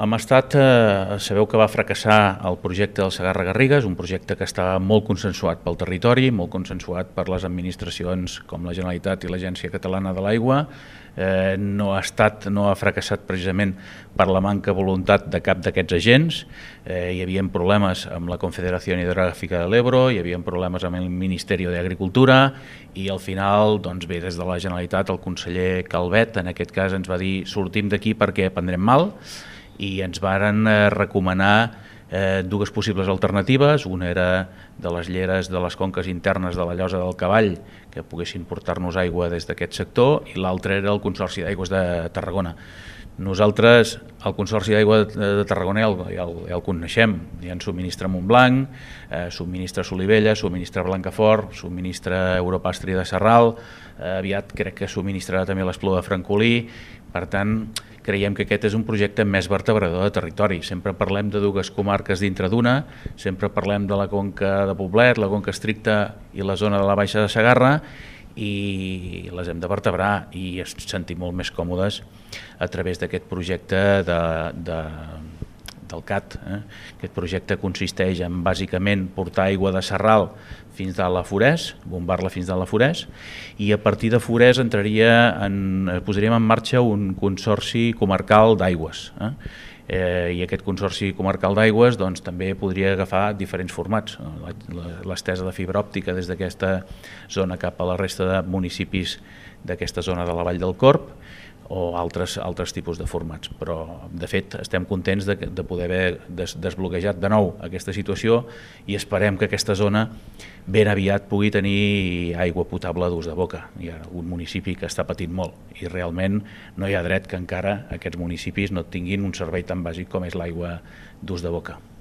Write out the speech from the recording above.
Hem estat, sabeu que va fracassar el projecte del Segarra-Garrigues, un projecte que estava molt consensuat pel territori, molt consensuat per les administracions com la Generalitat i l'Agència Catalana de l'Aigua. No ha fracassat precisament per la manca de voluntat de cap d'aquests agents. Hi havia problemes amb la Confederació Hidrogràfica de l'Ebro, hi havia problemes amb el Ministeri d'Agricultura i al final, doncs bé, des de la Generalitat el conseller Calvet en aquest cas ens va dir sortim d'aquí perquè prendrem mal i ens varen recomanar dues possibles alternatives. Una era de les lleres de les conques internes de la Llosa del Cavall que poguessin portar-nos aigua des d'aquest sector i l'altra era el Consorci d'Aigües de Tarragona. Nosaltres, el Consorci d'Aigua de Tarragona ja el coneixem, ja ens subministra Montblanc, subministra Solivella, subministra Blancafort, subministra Europastri de Sarral, aviat crec que subministrarà també l'Espluga de Francolí. Per tant, creiem que aquest és un projecte més vertebrador de territori. Sempre parlem de dues comarques dintre d'una, sempre parlem de la conca de Poblet, la conca estricta i la zona de la Baixa de Segarra, i les hem de vertebrar i ens sentim molt més còmodes a través d'aquest projecte del CAT. Aquest projecte consisteix en bàsicament portar aigua de Sarral fins a la Forès, bombar-la fins a la Forès, i a partir de Forès posaríem en marxa un consorci comarcal d'aigües. I aquest consorci comarcal d'aigües també podria agafar diferents formats, l'estesa de fibra òptica des d'aquesta zona cap a la resta de municipis d'aquesta zona de la Vall del Corb o altres tipus de formats, però de fet estem contents de poder haver desbloquejat de nou aquesta situació i esperem que aquesta zona ben aviat pugui tenir aigua potable d'ús de boca. Hi ha un municipi que està patint molt i realment no hi ha dret que encara aquests municipis no tinguin un servei tan bàsic com és l'aigua d'ús de boca.